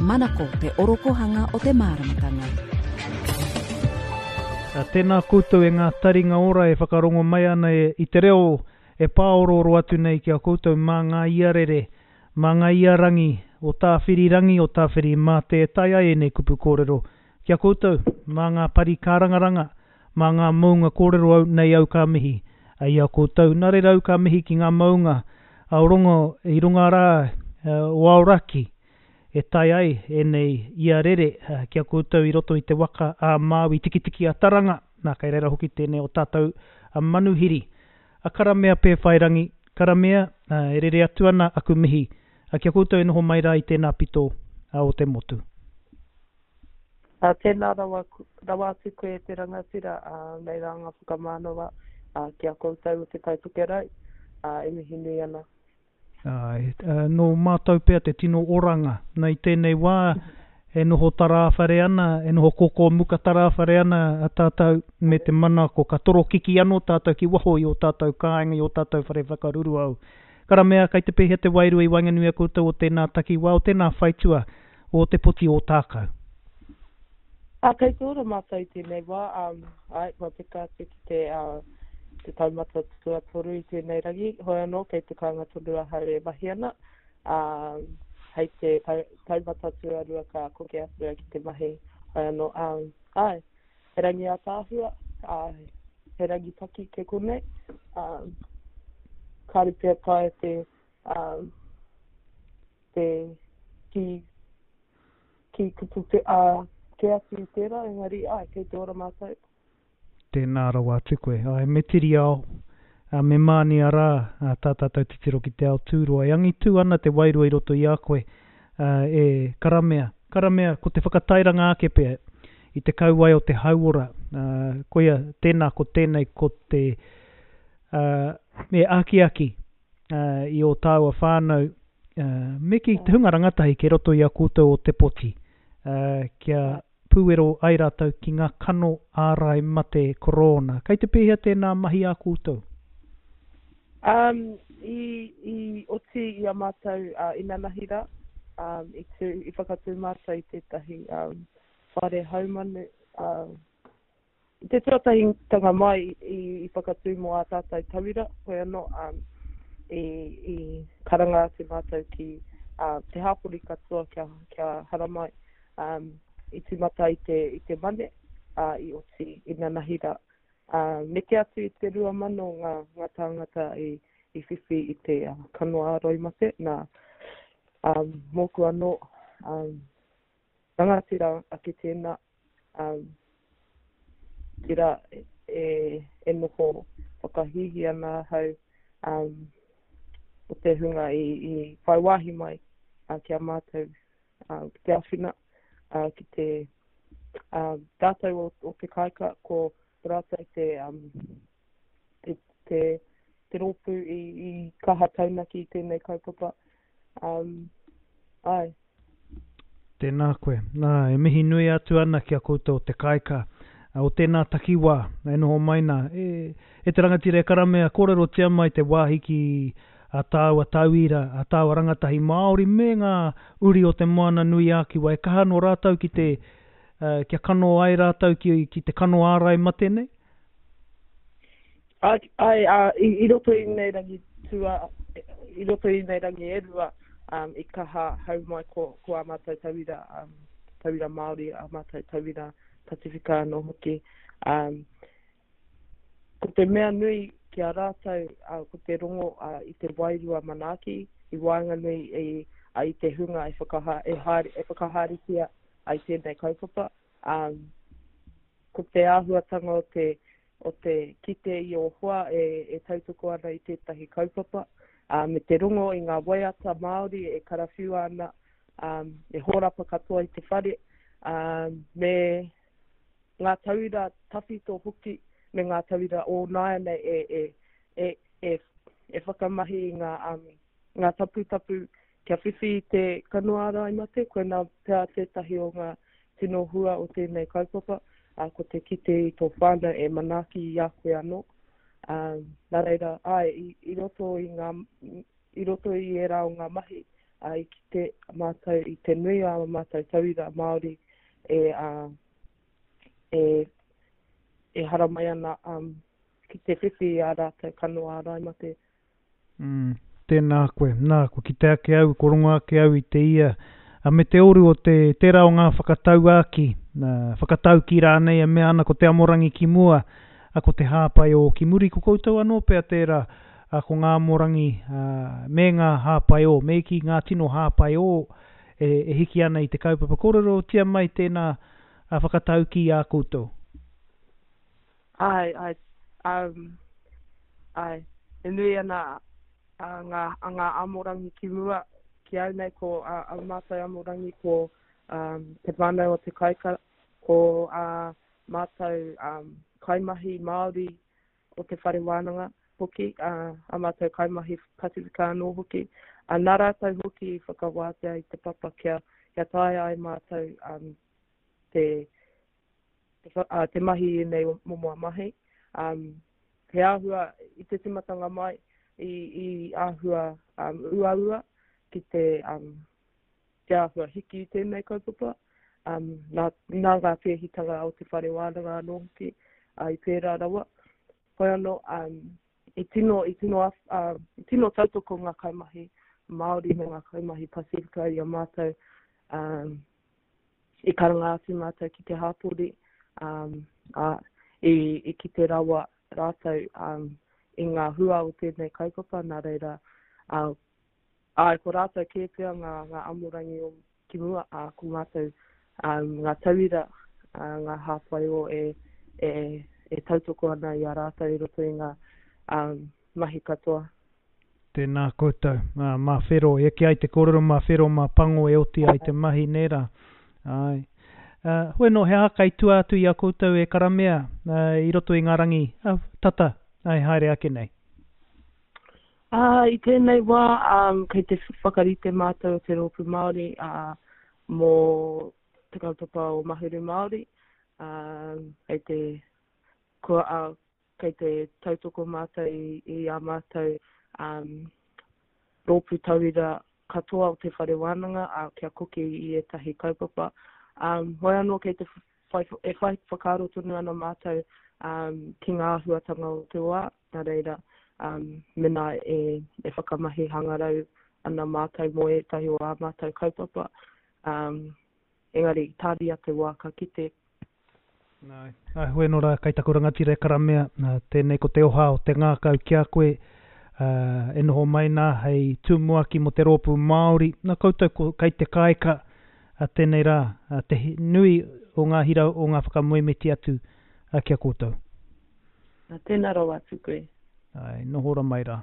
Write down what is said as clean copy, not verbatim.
Manako te orokohanga o te māramatanga. Tēnā koutou e ngā taringa ora e whakarongo mai ana i te reo e pāorooro atu nei ki a koutou mā ngā iarere, mā ngā iarangi o Tāwhirirangi, o Tāwhirimātea e tae ai ēnei kupu kōrero ki a koutou, mā ngā pari kārangaranga, mā ngā mounga kōrero au nei au ka mihi i a koutou. Nā reira au ka mihi ki ngā mounga o rongo i runga rā o Aoraki e tae ai ēnei ia rere ki a koutou i roto i te waka a Māui Tikitiki a Taranga, nā kei reira hoki tēnei o tātou manuhiri. A Karamea Pēwhairangi, Karamea, e rere atu ana aku mihi ki a koutou e noho mai rā i tēnā pito o te motu. Ā, tēnā rawa, rawa atu koe e te rangatira, ā, nei rā ngā whakamānawa, ā, ki a koutou o Te Tai Tokerau, ā, e mihi nui ana. Āe, nō mātou pea te tino oranga. Na i tēnei wā, e noho tarāwhare ana, e noho kōkō muka tarāwhare ana a tātou me te manako ka torokiki anō tātou ki waho i ō tātou kāinga, i ō tātou whare whakaruruau. Karamea, kei te pēhea te wairua i waenganui a koutou o tēnā takiwā, o tēnā whaitua, o Te Poti Ōtākau. Ā, kei te ora mātou i tēnei wā, ā, āe, kua peka atu ki te, ā, te taumata tuatoru i tēnei rangi, hoi anō, kei te kāinga tonu ahau e mahi ana, ā, hei te tau, taumata tuarua ka koke atu au ki te mahi, hoi anō, ā, āe, he rangi ātaahua, ā, he rangi paki kei konei, ā, kāore pea taea te, ā, te ki, ki kupu te, ā, kē atu i tērā, engari, āe, kei te ora mātou. Tēnā rawa atu koe. Āe, me tiri ao, ā, me mānia rā tā tātou titiro ki te ao tūroa. E angitū ana te wairua i roto i a koe, ā, e karamea, karamea, ko te whakatairanga ake pea i te kauae o te hauora, ā, koia, tēnā ko tēnei ko te, ā, me akiaki i ō tāua whānau, me kī, te hunga rangatahi kei roto i a koutou o Te Poti, kia pūwero ai rātou ki ngā kano ārai mate korōna. Kei te pēhea tēnā mahi a koutou? Um, i, i oti i a mātou uh, inanahi rā, um, i, tū, i whakatū mātou i tētahi um, whare haumanu uh, I te tuatahitanga mai i whakatū mō ā tātou tauira, hoi anō, i karanga atu mātou ki te hapori katoa kia, kia haramai. I tīmata i te, i te Mane, ā, i oti inanahi rā. Neke atu i te 2,000 ngā, ngā tāngata i, i whiwhi i te kano ārai mate, nā, mōku anō, rangatira ake tēnā, Um, tira e, e noho whakahīhī ana ahau um, o te hunga i, i whai wāhi mai uh, ki a mātou uh, ki te awhina, uh, ki te uh, tātou o, o te kāika, ko rātou te, um, te, te, te rōpū i, i kaha taunaki i tēnei kaupapa. Um, āe. Tēnā koe. Nā, e mihi nui atu ana ki a koutou o te kāika, o tēnā takiwā e noho mai nā. E, e te rangatira e Karamea, kōrerotia mai te wāhi ki a tāua tauira, a tāua rangatahi Māori me ngā uri o Te Moana-nui-ā-Kiwa e kaha nō rātou ki te, kia kano ai rātou ki, ki te kano ārai mate nei? Āe, āe, ā, i, i roto i ēnei rangi tua, i roto i ēnei rangi e rua, um, i kaha hau mai ko, ko ā mātou tauira, um, tauira Māori, ā mātou tauira Pasifika anō hoki. Um, ko te mea nui ki a rātou, uh, ko te rongo uh, i te wairua manaaki, i waenganui i, uh, i te hunga e, whakaha, e, haere, e whakahaeretia ai tēnei kaupapa. Um, ko te āhuatanga o te, o te kite i ō hoa e, e tautoko ana i tētahi kaupapa, ā, me te rongo i ngā waiata Māori e karawhiua ana, ā, e hōrapa katoa i te whare, ā, me ngā tauira tawhito hoki, me ngā tauira o nāianei e, e, e, e, e whakamahi i ngā, um, ngā taputapu Kia whiwhi i te kano ārai mate, koinā pea tētahi o ngā tino hua o tēnei kaupapa, ā, ko te kite i tō whānau e manaaki i a koe anō. Ā, nā reira, āe, i, i roto i ngā, i roto i ērā o ngā mahi, Ā, i kite mātou i te nui o ā mātou tauira Māori e, ā, e, e haramai ana, ā, ki te whiwhi i ā rātou kano ārai mate. Mm, tēnā koe. Nā, kua kite ake au, kua rongo ake au i te ia, a, me te oru o te, tērā o ngā whakatauākī, nā, whakataukī rānei e mea ana ko te amorangi ki mua, a, ko te hāpai ō ki muri. Ko koutou anō pea tērā, a, ko ngā amorangi, a, me ngā hāpai ō, me kī ngā tino hāpai ō e, e hiki ana i te kaupapa. Kōrerotia mai tēnā, a, whakataukī a koutou. Āe, āe, um, āe, e nui ana a ngā, a ngā amorangi ki mua, ki au nei ko a, a mātou amorangi ko um, te whānau o te kaika, ko a mātou um, kaimahi Māori o te whare wānanga hoki, a, a mātou kaimahi Pasifika anō hoki. A, nā rātou hoki i whakawātea i te papa kia, kia taea ai mātou um, te, te mahi i ēnei momo mahi. He āhua i te tīmatanga mai, i, i āhua um, uaua ki te, um, te āhua hiki i tēnei kaupapa. Um, nā, nā ngā pēhitanga o te whare wānanga anō hoki, uh, i pērā rawa. Hoi anō, um, i tino, i tino, uh, i tino tautoko ngā kaimahi Māori me ngā kaimahi Pasifika i a mātou um, I karanga atu mātou ki te hapori, ā, i kite rawa rātou i ngā hua o tēnei kaupapa, nā reira, āe, ko rātou kē pea ngā, ngā amorangi o ki mua, ā, ko mātou ngā tauira, ngā hāpai o e, e, e tautoko ana i a rātou i roto i ngā mahi katoa. Tēnā koutou. Ā, mā whero, e eke ai te kōrero mā whero, mā pango e oti ai te mahi, nē rā? Āe. Ā, hoi anō, he aha kai tua atu i a koutou e karamea, ā, i roto i ngā rangi, ā, tata, ā, e haere ake nei? Ā, i tēnei wā, ā, kei te whakarite mātou o te Rōpū Māori, ā, mō te kaupapa o Mahuru Māori, ā, kei te, kua, ā, Kei te tautoko mātou i ā mātou rōpū tauira katoa o te whare wānanga kia koke i ētahi kaupapa. Hoi anō kei te whai, e whai whakaaro tonu ana mātou ki ngā āhuatanga o te wā, nā reira, mēnā e whakamahi hangarau ana mātou mō ētahi o ā mātou kaupapa, engari tāria te wā ka kite. Āe, āe, hoi anō rā, kai taku rangatira e karamea, tēnei ko te oha o te ngākau ki a koe, ā, e noho mai nā hei tumuaki mō te rōpū Māori, nā koutou ko, kai te kāika, ā, tēnei rā, ā, te nui o ngā hira o ngā whakamoemiti atu, ā, ki a koutou. Ā, tēnā rawa atu koe. Āe, noho ora mai rā.